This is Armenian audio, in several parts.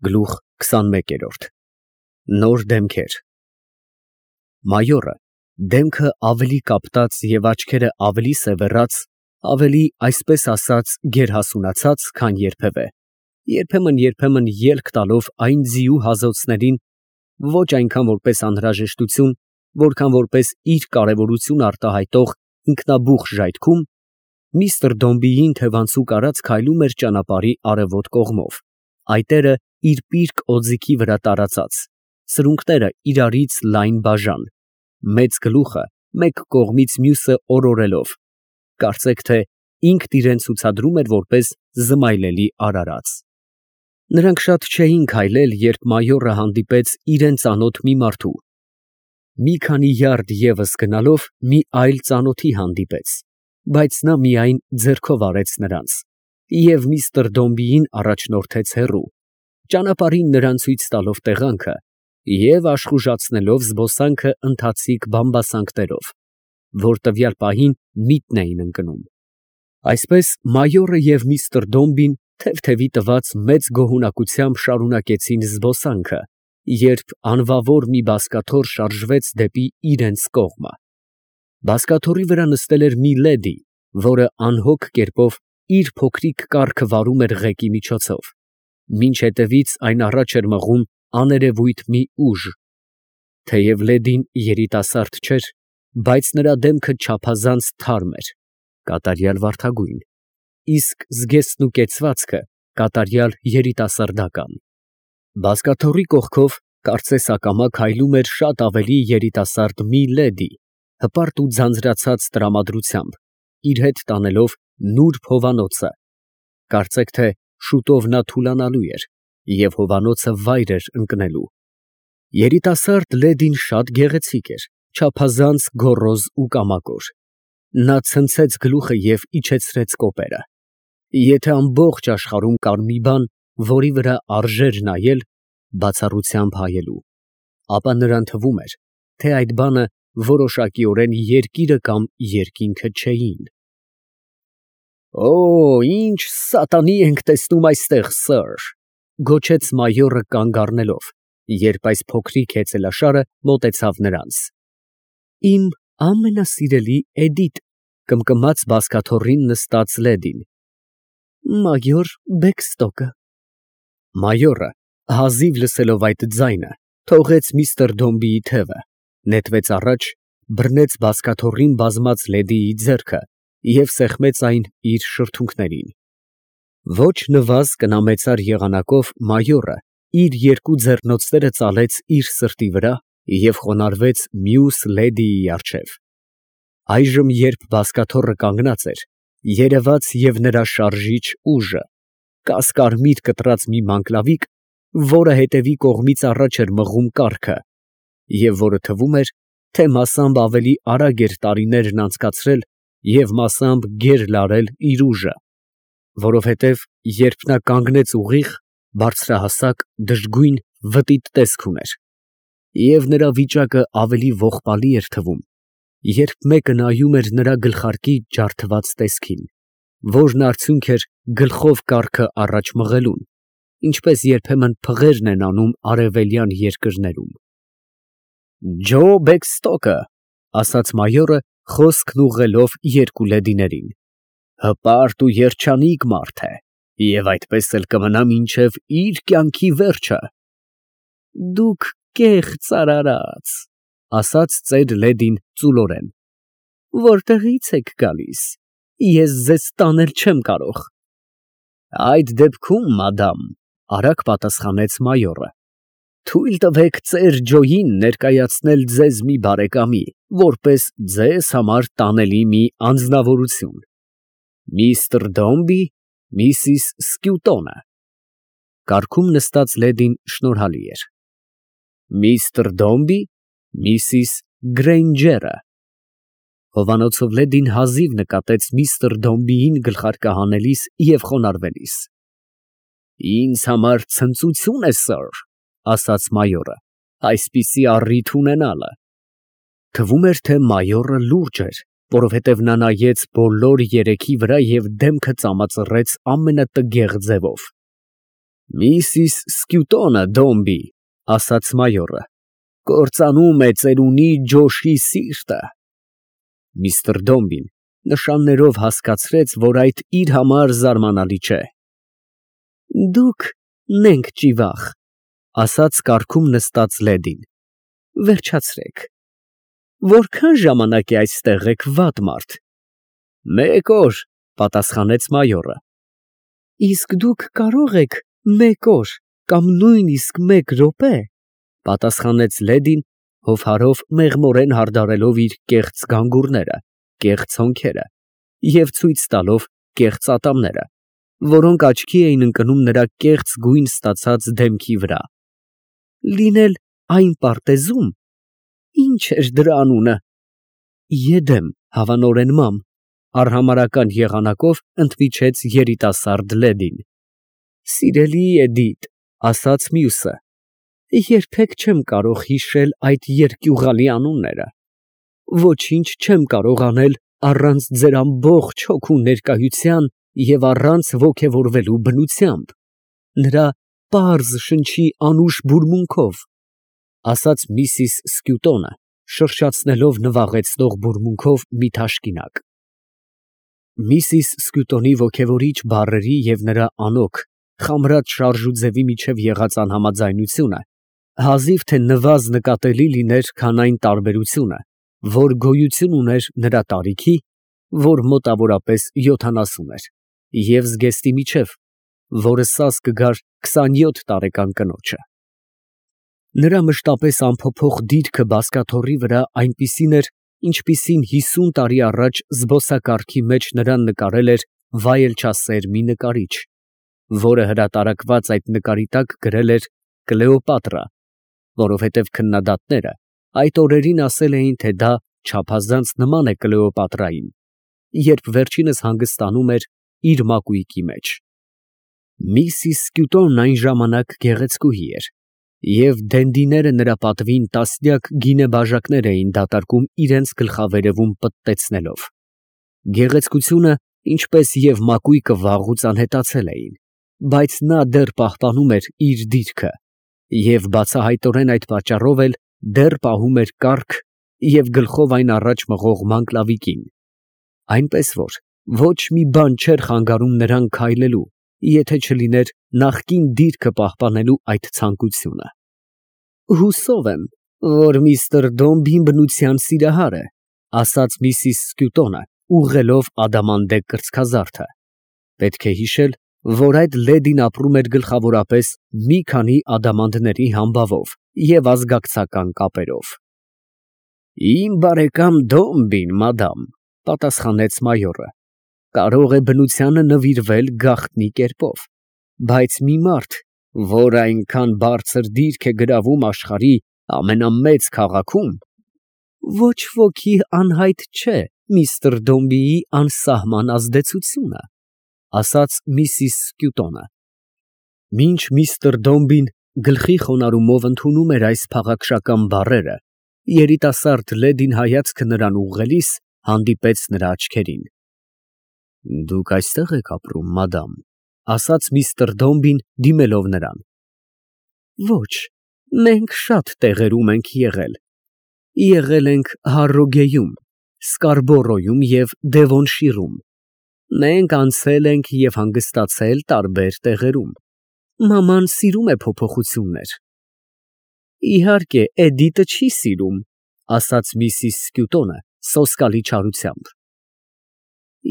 Գլուխ 21 Նոր դեմքեր Մայորը, դեմքը ավելի կապտած և աչքերը ավելի սևեռած, ավելի, այսպես ասած, գերհասունացած, քան երբևէ, երբեմն ելք տալով այն ձիու հազոցներին, ոչ այնքան որպես անհրաժեշտություն, որքան որպես իր կարևորություն արտահայտող ինքնաբուխ ժայթքում, միստր Դոմբիին թևանցուկ արած քայլում էր ճանապարհի արևոտ կողմով, այտերը իր պիրկ օձիքի վրա տարածած, սրունքները իրարից լայն բաժան, մեծ գլուխը մեկ կողմից մյուսը օրորելով, կարծեք թե ինքն իրան ցուցադրում էր որպես զմայլելի արարած։ Նրանք շատ չէին քայլել, երբ մայորը հանդիպեց իրան ծանոթ մի մարդու։ Մի քանի յարդ ևս գնալով մի այլ ծանոթի հանդիպեց, բայց նա միայն ձեռքով արեց նրանց, և միստր Դոմբիին առաջնորդեց հեռու, ճանապարհին նրան ցույց տալով տեղանքը և աշխուժացնելով զբոսանքը ընթացիկ բամբասանքներով, որ տվյալ պահին միտն էին ընկնում։ Այսպես մայորը և միստր Դոմբին թեթևի տված մեծ գոհունակությամբ շարունակեցին զբոսանքը, երբ անվավոր մի բազկաթոռ շարժվեց դեպի իրենց կողմը։ Բազկաթոռի վրա նստել էր մի լեդի, որը անհոգ կերպով իր փոքրիկ կառքը վարում էր ղեկի միջոցով, մինչ հետևից այն առաջ էր մղում աներևույթ մի ուժ։ Թեև լեդին երիտասարդ չէր, բայց նրա դեմքը չափազանց թարմ էր, կատարյալ վարդագույն, իսկ զգեստն ու կեցվածքը կատարյալ երիտասարդական։ Բազկաթոռի կողքով, կարծես ակամա քայլում էր շատ ավելի երիտասարդ մի լեդի, հպարտ ու ձանձրացած տրամադրությամբ, իր հետ տանելով նուրբ հովանոցը, կարծեք թե շուտով նա թուլանալու էր և հովանոցը վայր էր ընկնելու։ Երիտասարդ լեդին շատ գեղեցիկ էր, չափազանց գոռոզ ու կամակոր։ Նա ցնցեց գլուխը և իջեցրեց կոպերը։ Եթե ամբողջ աշխարհում կար մի բան, որի վրա արժեր նայել, բացառությամբ հայելու, ապա նրան թվում էր, թե այդ բանը որոշակիորեն երկիրը կամ երկինքը չէին։ «Օ, ինչ սատանի ենք տեսնում այստեղ, սըր», ֊ գոչեց մայորը կանգ առնելով, երբ այս փոքրիկ հեծելաշարը մոտեցավ նրանց։ «Իմ ամենասիրելի Էդիտ», ֊ կմկմաց բազկաթոռին նստած լեդին։ «Մայոր Բեքստոկը»։ Մայորը, հազիվ լսելով այդ ձայնը, թողեց միստր Դոմբիի թևը, նետվեց առաջ, բռնեց բազկաթոռին բազմած լեդիի ձեռքը և սեղմեց այն իր շրթունքներին։ Ոչ նվազ կնամեծար եղանակով մայորը իր երկու ձեռնոցները ծալեց իր սրտի վրա և խոնարհվեց մյուս լեդիի առջև։ Այժմ, երբ բազկաթոռը կանգնած էր, երևաց և նրա շարժիչ ուժը, կասկարմիր կտրած մի մանգլավիկ, որը հետևի կողմից առաջ էր մղում կառքը, և որը թվում էր, թե մասամբ ավելի արագ էր տարիներն անցկացրել և մասամբ գեր֊լարել իր ուժը, որովհետև, երբ նա կանգնեց ուղիղ, բարձրահասակ, դժգույն, վտիտ տեսք ուներ, և նրա վիճակը ավելի ողբալի էր թվում, երբ մեկը նայում էր նրա գլխարկի ջարդված տեսքին, որն արդյունք էր գլխով կառքը առաջ մղելուն, ինչպես երբեմն փղերն են անում արևելյան երկրներում։ «Ջո Բեքստոկը», ֊ ասաց մայորը, խոսքն ուղղելով երկու լեդիներին, ֊ հպարտ ու երջանիկ մարդ է և այդպես էլ կմնա մինչև իր կյանքի վերջը։ ֊ Դուք կեղծ արարած, ֊ ասաց ծեր լեդին ծուլորեն, ֊ որտեղի՞ց եք գալիս, ես ձեզ տանել չեմ կարող։ ֊ Այդ դեպքում, մադամ, ֊ արագ պատասխանեց մայորը, ֊ թույլ տվեք ծեր Ջոյին ներկայացնել ձեզ մի բարեկամի, որպես ձեզ համար տանելի մի անձնավորություն. միստր Դոմբի, Միսիս Սկյուտոնը։ Կառքում նստած լեդին շնորհալի էր։ Միստր Դոմբի, Միսիս Գրեյնջերը։ Հովանոցով լեդին հազիվ նկատեց միստր Դոմբիին գլխարկը հանելիս և խոնարհվելիս։ «Ինձ համար ցնծություն է, սըր, ֊ ասաց մայորը, ֊ այսպիսի առիթ ունենալը»։ Թվում էր, թե մայորը լուրջ էր, որովհետև նա նայեց բոլոր երեքի վրա և դեմքը ծամածռեց ամենատգեղ ձևով։ Միսիս Սկյուտոնը Դոմբի, ասաց մայորը, կործանում է ծերունի ջոշի սիրտը։ Միսթր Դոմբին նշաններով հասկացրեց, որ այդ իր համար զարմանալի չէ։ Դուք նենք ճիվախ, ասաց կառքում նստած լեդին, վերջացրեք։ Որքան ժամանակ է այստեղ եք, վատ մարդ։ Մեկ օր, պատասխանեց մայորը։ Իսկ դուք կարող եք մեկ օր կամ նույնիսկ մեկ րոպե, պատասխանեց լեդին, հովհարով մեղմորեն հարդարելով իր կեղծ գանգուրները, կեղծ հոնքերը և ցույց տալով կեղծ ատամները, որոնք աչքի էին ընկնում նրա կեղծ գույն ստացած դեմքի վրա։ Լինել այն պարտեզում, ինչ էր դրա անունը։ Եդեմ, հավանորեն մամ, արհամարհական եղանակով ընդմիջեց երիտասարդ լեդին։ Սիրելի Էդիթ, ասաց մյուսը, երբեք չեմ կարող հիշել այդ երկյուղալի անունները։ Ոչինչ չեմ կարող անել առանց ձեր ամբողջ հոգու ներկայության և առանց ոգևորվելու բնությամբ, նրա պարզ շնչի անուշ բուրմունքով, ասաց միսիս Սկյուտոնը, շրշացնելով նվաղեցնող բուրմունքով մի թաշկինակ։ Միսիս Սկյուտոնի ոգևորիչ բառերի և նրա անոք, խամրած շարժուձևի միջև եղած անհամաձայնությունը հազիվ թե նվազ նկատելի լիներ, քան այն տարբերությունը, որ գոյություն ուներ նրա տարիքի, որ մոտավորապես 70 էր, և զգեստի միջև, որը սաս կգար 27 տարեկան կնոջը։ Նրա մշտապես անփոփոխ դիրքը բազկաթոռի վրա այնպիսին էր, ինչպիսին 50 տարի առաջ զբոսակարգի մեջ նրան նկարել էր վայելչասեր մի նկարիչ, որը հրատարակված այդ նկարի տակ գրել էր Կլեոպատրա, որովհետև քննադատները այդ օրերին ասել էին, թե դա չափազանց նման է Կլեոպատրային, երբ վերջինս հանգստանում էր իր մակույկի մեջ։ Միսիս Սկյուտոնն այն ժամանակ գեղեցկուհի էր, և դենդիները նրա պատվին տասնյակ գինե բաժակներ էին դատարկում իրենց գլխավերևում պտտեցնելով։ Գեղեցկությունը, ինչպես և մակույկը վաղուց անհետացել էին, բայց նա դեռ պահպանում էր իր դիրքը և բացահայտորեն այդ պատճառով էլ դեռ պահում էր կառք և գլխով այն առաջ մղող մանկլավիկին, այնպես որ ոչ մի բան չէր խանգարում նրան քայլելու, եթե չլիներ նախկին դիրքը պահպանելու այդ ցանկությունը։ Հուսով եմ, որ միստր Դոմբին բնության սիրահար է, ասաց միսիս Սկյուտոնը, ուղղելով ադամանդե կրծքազարդը։ Պետք է հիշել, որ այդ լեդին ապրում էր գլխավորապես մի քանի ադամանդների համբավով և ազգակցական կապերով։ Իմ բարեկամ Դոմբին, մադամ, պատասխանեց մայորը, կարող է բնությանը նվիրվել գաղտնի կերպով, բայց մի մարդ, որ այնքան բարձր դիրք է գրավում աշխարհի ամենամեծ քաղաքում, ոչ ոքի անհայտ չէ միստր Դոմբիի անսահման ազդեցությունը, ասաց միսիս Սկյուտոնը։ Մինչ միստր Դոմբին գլխի խոնարհումով ընդունում էր այս փաղաքշական բառերը, երիտասարդ լեդին հայացքը նրան ուղղելիս հանդիպեց նրա աչքերին։ Դուք այստեղ եք ապրում, մադամ, ասաց միստր Դոմբին, դիմելով նրան։ Ոչ, մենք շատ տեղերում ենք եղել։ Եղել ենք Հարրոգեյում, Սկարբորոյում և Դևոնշիրում։ Մենք անցել ենք և հանգստացել տարբեր տեղերում։ Մաման սիրում է փոփոխություններ։ Իհարկե, Էդիտը չի սիրում, ասաց միսիս Սկյուտոնը սոսկալի չարությամբ։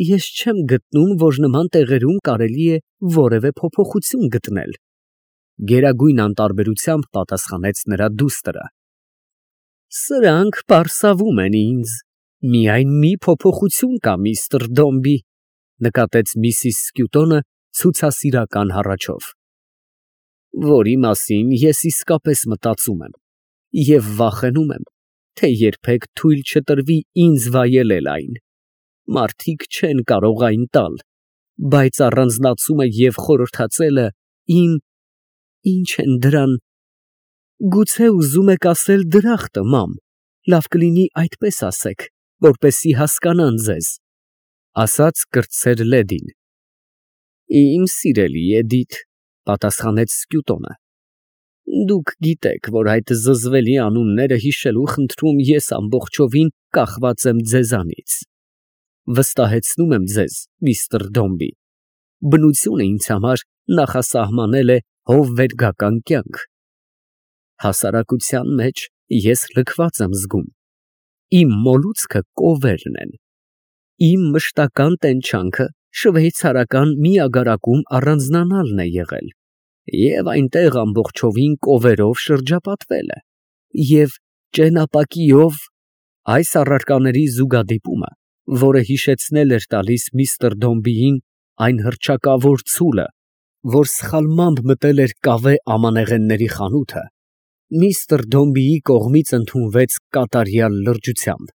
Ես չեմ գտնում, որ նման տեղերում կարելի է որևէ փոփոխություն գտնել, գերագույն անտարբերությամբ պատասխանեց նրա դուստրը։ Սրանք պարսավում են ինձ, միայն մի փոփոխություն կա, միստր Դոմբի, նկատեց միսիս Սկյուտոնը ցուցասիրական հառաչով, որի մասին ես իսկապես մտածում եմ և վախենում եմ, թե երբեք թույլ չտրվի ինձ վայելել այն։ Մարդիկ չեն կարող այն տալ, բայց առանձնացումը և խորհրդածելը ինչ են դրան, գուցե ուզում եք ասել դրախտը, մամ, լավ կլինի այդպես ասեք, որպեսզի հասկանան ձեզ, ասաց կրտսեր լեդին։ Իմ սիրելի Էդիթ, պատասխանեց Սկյուտոնը։ Դուք գիտեք, որ այդ զզվելի անունները հիշելու խնդրում ես ամբողջովին կախված եմ ձեզանից։ Վստահեցնում եմ ձեզ, միստր Դոմբի, բնությունը ինձ համար նախասահմանել է հովվերգական կյանք։ Հասարակության մեջ ես լքված եմ զգում։ Իմ մոլուցքը կովերն են։ Իմ մշտական տենչանքը շվեյցարական մի ագարակում առանձնանալն է եղել և այնտեղ ամբողջովին կովերով շրջապատվել է, և ճենապակիով այս առարկաների զուգադիպումը, որը հիշեցնել էր տալիս միստր Դոմբիին այն հռչակավոր ցուլը, որ սխալմամբ մտել էր կավե ամանեղենների խանութը, միստր Դոմբիի կողմից ընդունվեց կատարյալ լրջությամբ,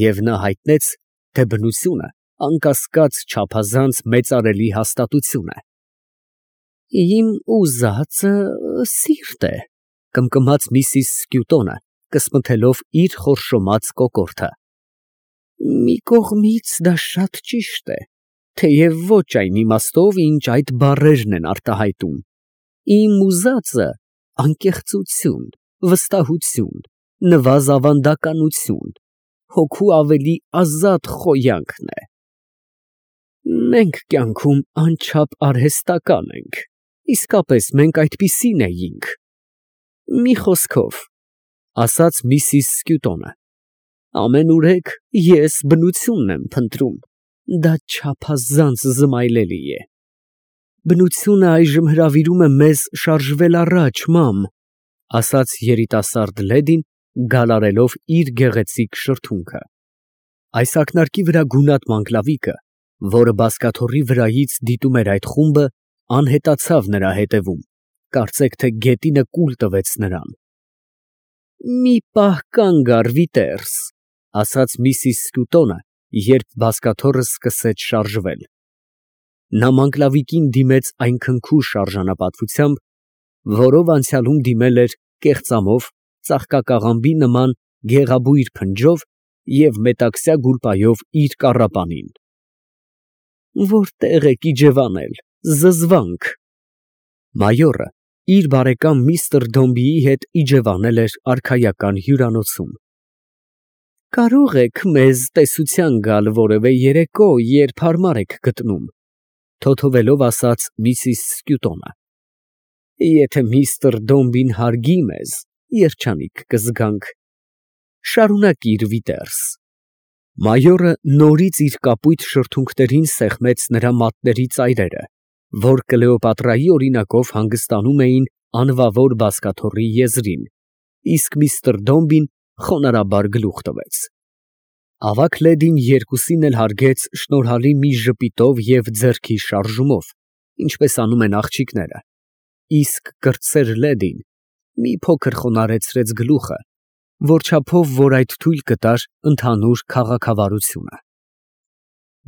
և նա հայտնեց, թե բնությունը անկասկած չափազանց մեծարելի հաստատություն է։ Իմ ուզածը սիրտ է, կմկմաց միսիս Սկյուտոնը, կսմթելով իր խորշոմած կոկորդը։ Մի կողմից դա շատ ճիշտ է, թեև ոչ այն իմաստով, ինչ այդ բառերն են արտահայտում։ Իմ ուզածը անկեղծություն, վստահություն, նվազավանդականություն, հոգու ավելի ազատ խոյանքն է։ Մենք կյանքում անչափ արհեստական ենք, իսկապես մենք այդպիսին էինք։ Մի խոսքով, ասաց միսիս Սկյուտոնը, ամենուրեք ես բնությունն եմ փնտրում, դա չափազանց զմայլելի է։ Բնությունը այժմ հրավիրում է մեզ շարժվել առաջ, մամ, ասաց երիտասարդ լեդին, գալարելով իր գեղեցիկ շրթունքը։ Այս ակնարկի վրա գունատ մանգլավիկը, որը բազկաթոռի վրայից դիտում էր այդ խումբը, անհետացավ նրա հետևում, կարծեք թե գետինը կուլ տվեց նրան։ Մի պահ կանգ առ, Վիտերս, ասաց միսիս Սկյուտոնը, երբ բազկաթոռը սկսեց շարժվել։ Նա մանգլավիկին դիմեց այն քնքուշ արժանապատվությամբ, որով անցյալում դիմել էր կեղծամով, ծաղկակաղամբի նման գեղաբույր փնջով և մետաքսյա գուլպայով իր կառապանին։ Որտե՞ղ եք իջևանել, զզվանք։ Մայորը իր բարեկամ միստր Դոմբիի հետ իջևանել էր արքայական հյուրանոցում։ Կարո՞ղ եք մեզ տեսության գալ որևէ երեկո, երբ հարմար եք գտնում, թոթովելով ասաց միսիս Սկյուտոնը։ Եթե միստր Դոմբին հարգի մեզ, երջանիկ կզգանք։ Շարունակիր, Վիտերս։ Մայորը նորից իր կապույտ շրթունքներին սեղմեց նրա մատների ծայրերը, որ Կլեոպատրայի օրինակով հանգստանում էին անվավոր բազկաթոռի եզրին, իսկ միստր Դոմբին խոնարհաբար գլուխ տվեց։ Ավագ լեդին երկուսին էլ հարգեց շնորհալի մի ժպիտով և ձեռքի շարժումով, ինչպես անում են աղջիկները, իսկ կրտսեր լեդին մի փոքր խոնարհեցրեց գլուխը, որչափով որ այդ թույլ կտար ընդհանուր քաղաքավարությունը։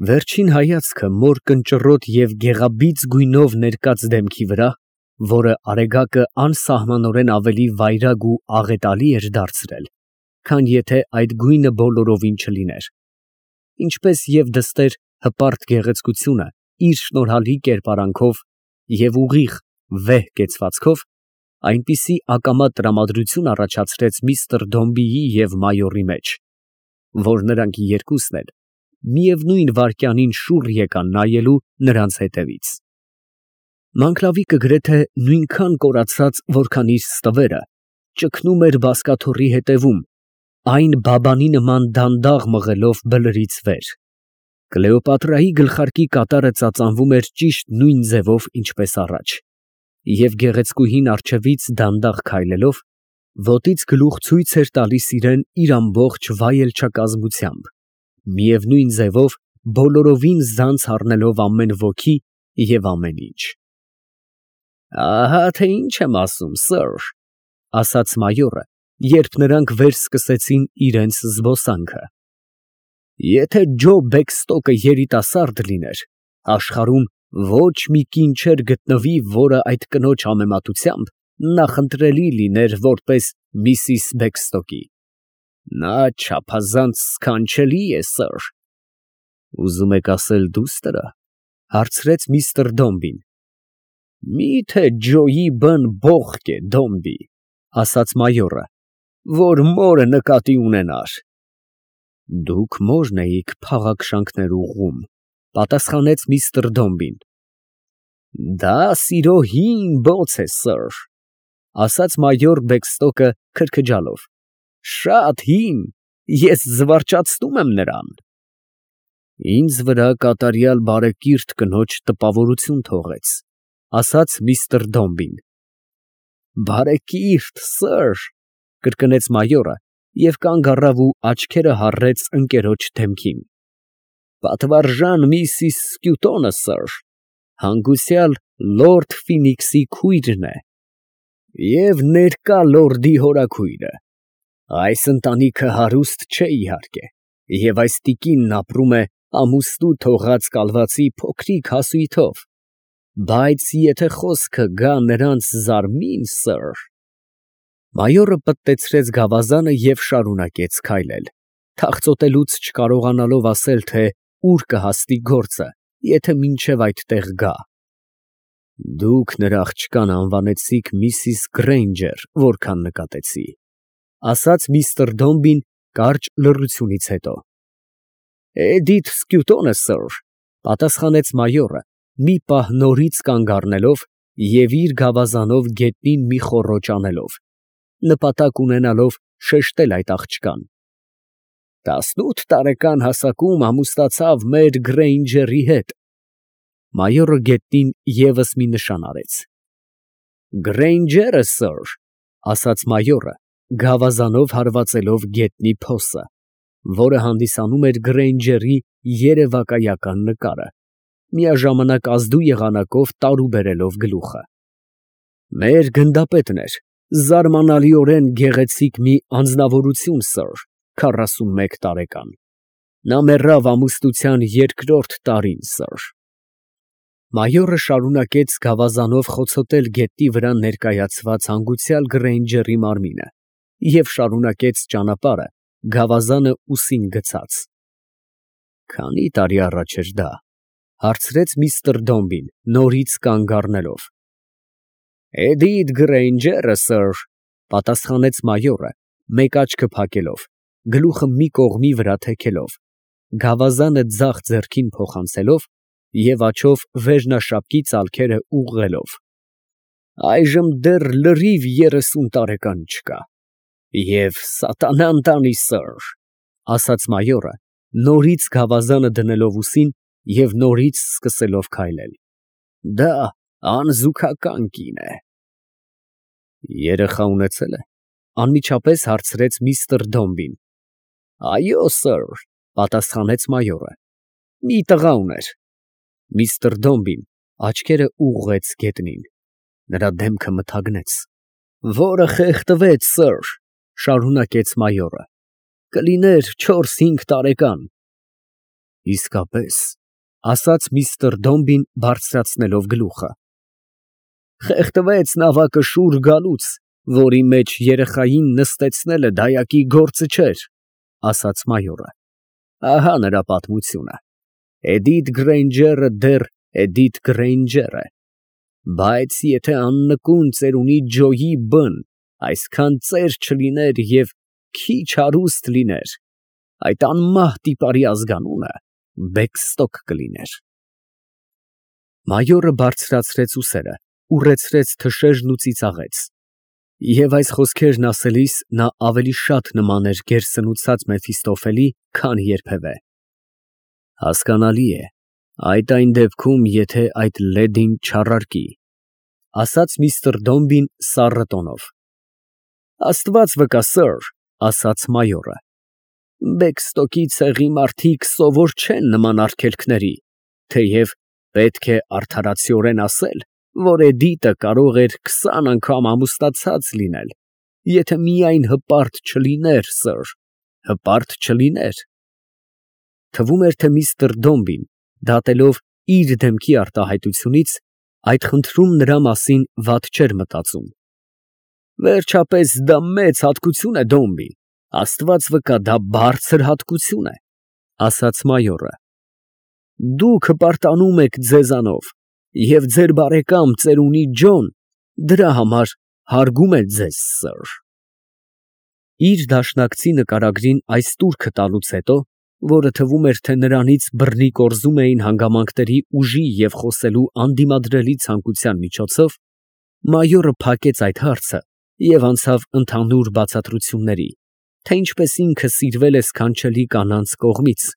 Վերջին հայացքը մոր կնճռոտ և գեղաբիծ գույնով ներկած դեմքի վրա, որը արեգակը անսահմանորեն ավելի վայրագ ու աղետալի էր դարձրել, քան եթե այդ գույնը բոլորովին չլիներ, ինչպես և դստեր հպարտ գեղեցկությունը իր շնորհալի կերպարանքով և ուղիղ վեհ կեցվածքով, այնպիսի ակամա տրամադրություն առաջացրեց միստր Դոմբիի և մայորի մեջ, որ նրանք երկուսն էլ միևնույն վայրկյանին շուռ եկան նայելու նրանց հետևից։ Մանգլավիկը գրեթե նույնքան կորացած, որքան իր ստվերը, ճգնում էր բազկաթոռի հետևում, այն բաբանի նման դանդաղ մղելով բլրից վեր։ Կլեոպատրայի գլխարկի կատարը ծածանվում էր ճիշտ նույն ձևով, ինչպես առաջ, և գեղեցկուհին առջևից դանդաղ քայլելով, ոտից գլուխ ցույց էր տալիս իրան իր ամբողջ վայելչակազմությամբ, միևնույն ձևով բոլորովին զանց առնելով ամեն ոգի և ամեն ինչ։ Ահա թե ինչ եմ ասում, սըր, ասաց մայորը, երբ նրանք վեր սկսեցին իրենց զբոսանքը։ Եթե Ջո Բեքստոկը երիտասարդ լիներ, աշխարհում ոչ մի կին չէր գտնվի, որը այդ կնոջ համեմատությամբ նախընտրելի լիներ որպես միսիս Բեքստոկի։ Նա չափազանց սքանչելի է, սըր։ Ուզում եք ասել դուստր, հարցրեց միստր Դոմբին։ Միթե ջոյի բն բողք է դոմբի, ասաց մայորը, որ մորը նկատի ունենար։ Դուք մորն էիք փաղաքշանքներ ուղղում, պատասխանեց միստր Դոմբին։ Դա սիրո հին բոց է, սըր, ասաց մայոր Բեքստոկը քրքջալով, շատ հին, ես զվարճացնում եմ նրան։ Ինձ վրա կատարյալ բարեկիրթ կնոջ տպավորություն թողեց, ասաց միստր Դոմբին։ Բարեկիրթ, սըր, կրկնեց մայորը և կանգ առավ ու աչքերը հառեց ընկերոջ դեմքին։ Պատվարժան Միսիս Սկյուտոնը, սըր, հանգուցյալ լորդ Ֆինիքսի քույրն է և ներկա լորդի հորաքույրը։ Այս ընտանիքը հարուստ չէ իհարկե, և այս տիկինն ապրում է ամուստու թողած կալվածի փոքրիկ հասույթով, բայց եթե խոսքը գա նրանց զարմին, սըր… Մայորը պտտեցրեց գավազանը և շարունակեց քայլել, թախծոտելուց չկարողանալով ասել, թե ուր կհասնի գործը, եթե մինչև այդտեղ գա։ Դուք նրա աղջկան անվանեցիք Միսիս Գրեյնջեր, որքան նկատեցի, ասաց միստր Դոմբին կարճ լռությունից հետո։ Էդիթ Սկյուտոնը, սըր, պատասխանեց մայորը, մի պահ նորից կանգ առնելով և իր գավազանով գետնին մի խոռոչ անելով, նպատակ ունենալով շեշտել այդ աղջկան։ 18 տարեկան հասակում ամուսնացավ մեր Գրեյնջերի հետ։ Մայորը գետնին ևս մի նշան արեց։ Գրեյնջերը, սըր, ասաց մայորը, գավազանով հարվածելով գետնի փոսը, որը հանդիսանում էր Գրեյնջերի երևակայական նկարը, միաժամանակ ազդու եղանակով տարու բերելով գլուխը։ Մեր գնդապետն էր, զարմանալիորեն գեղեցիկ մի անձնավորություն, սըր, 41 տարեկան։ Նա մեռավ ամուսնության երկրորդ տարին, սըր։ Մայորը շարունակեց գավազանով խոցոտել գետնի վրա ներկայացված հանգուցյալ Գրեյնջերի մարմինը և շարունակեց ճանապարհը գավազանը ուսին գցած։ Քանի տարի առաջ էր դա, հարցրեց միստր Դոմբին, նորից կանգ առնելով։ Էդիթ Գրեյնջերը, սըր, պատասխանեց մայորը, մեկ աչքը փակելով, գլուխը մի կողմի վրա թեքելով, գավազանը ձախ ձեռքին փոխանցելով և աջով վերնաշապկի ծալքերը ուղղելով։ Այժմ դեռ լրիվ 30 տարեկան չկա։ Եվ սատանան տանի, սըր, ասաց մայորը, նորից գավազանը դնելով ուսին և նորից սկսելով քայլել։ Դա անզուգական կին է։ Երեխա ունեցել է, անմիջապես հարցրեց միստր Դոմբին։ Այո, սըր, պատասխանեց մայորը, մի տղա ուներ։ Միստր Դոմբին աչքերը ուղղեց գետնին։ Նրա դեմքը մթագնեց։ Որը խեղդվեց, սըր, շարունակեց մայորը, կլիներ 4-5 տարեկան։ Իսկապես, ասաց միստր Դոմբին բարձրացնելով գլուխը։ Խեղդվեց նավակը շուռ գալուց, որի մեջ երեխային նստեցնելը դայակի գործը չէր, ասաց մայորը։ Ահա նրա պատմությունը։ Էդիթ Գրեյնջերը դեռ Էդիթ Գրեյնջեր է, բայց եթե աննկուն ծերունի ջոյի բն այսքան ծեր չլիներ և քիչ հարուստ լիներ, այդ անմահ տիպարի ազգանունը Բեքստոկ կլիներ։ Մայորը բարձրացրեց ուսերը, ուռեցրեց թշերն ու ծիծաղեց։ Եվ այս խոսքերն ասելիս նա ավելի շատ նման էր գերսնուցած Մեֆիստոֆելի, քան երբևէ։ Հասկանալի է, այդ այն դեպքում, եթե այդ լեդին չառարկի, ասաց միստր Դոմբին սառը տոնով։ Աստված վկա, սըր, ասաց մայորը, Բեքստոկի ցեղի մարդիկ սովոր չեն նման արգելքների, թեև պետք է արդարացիորեն ասել, որ Էդիտը կարող էր 20 անգամ ամուսնացած լինել, եթե միայն հպարտ չլիներ, սըր, հպարտ չլիներ։ Թվում էր, թե միստր Դոմբին, դատելով իր դեմքի արտահայտությունից, այդ խնդրում նրա մասին վատ չէր մտածում։ Վերջապես դա մեծ հատկություն է, Դոմբի, Աստված վկա, դա բարձր հատկություն է, ասաց մայորը։ Դուք հպարտանում եք ձեզանով Եվ ձեր բարեկամ ծերունի Ջոն դրա համար հարգում է ձեզ, սըր։ Իր դաշնակցի նկարագրին այս տուրքը տալուց հետո, որը թվում էր, թե նրանից բռնի կորզում էին հանգամանքների ուժի և խոսելու անդիմադրելի ցանկության միջոցով, մայորը փակեց այդ հարցը և անցավ ընդհանուր բացատրությունների, թե ինչպես ինքը սիրվել է սքանչելի կանանց կողմից,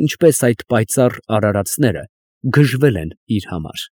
ինչպես այդ պայծառ արարածները գժվել են իր համար։